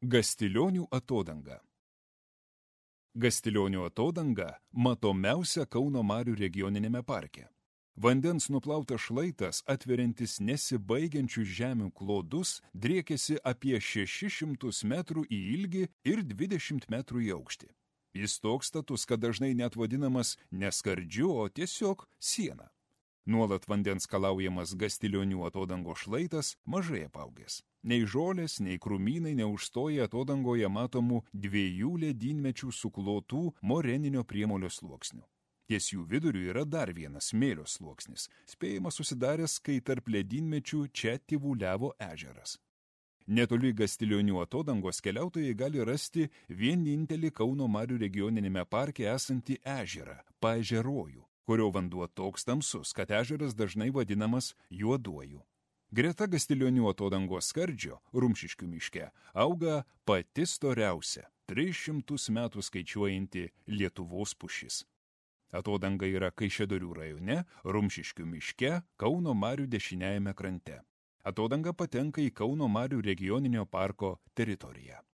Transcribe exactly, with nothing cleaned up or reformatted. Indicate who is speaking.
Speaker 1: Gastilionių atodanga. Gastilionių atodanga matomiausia Kauno marių regioninėme parke. Vandens nuplautas šlaitas, atveriantis nesibaigiančius žemių klodus, driekėsi apie šešis šimtus metrų į ilgį ir dvidešimt metrų į aukštį. Jis toks status, kad dažnai net vadinamas ne skardžiu, o tiesiog siena. Nuolat vandens kalaujamas Gastilionių atodangos šlaitas mažai apaugęs. Nei žolės, nei krūmynai neužstoja atodangoje matomų dviejų ledynmečių suklotų moreninio priemolio sluoksnių. Ties jų viduriu yra dar vienas smėlio sluoksnis, spėjimas susidaręs, kai tarp ledynmečių čia tyvuliavo ežeras. Netoli Gastilionių atodangos keliautojai gali rasti vienintelį Kauno marių regioninėme parke esantį ežerą – Paežerojų, kurio vanduo toks tamsus, kad ežeras dažnai vadinamas Juoduoju. Greta Gastilionių atodangos skardžio, Rumšiškių miške, auga pati storiausia, tris šimtus metų skaičiuojanti Lietuvos pušis. Atodanga yra Kaišiadorių rajone, Rumšiškių miške, Kauno marių dešiniajame krante. Atodanga patenka į Kauno marių regioninio parko teritoriją.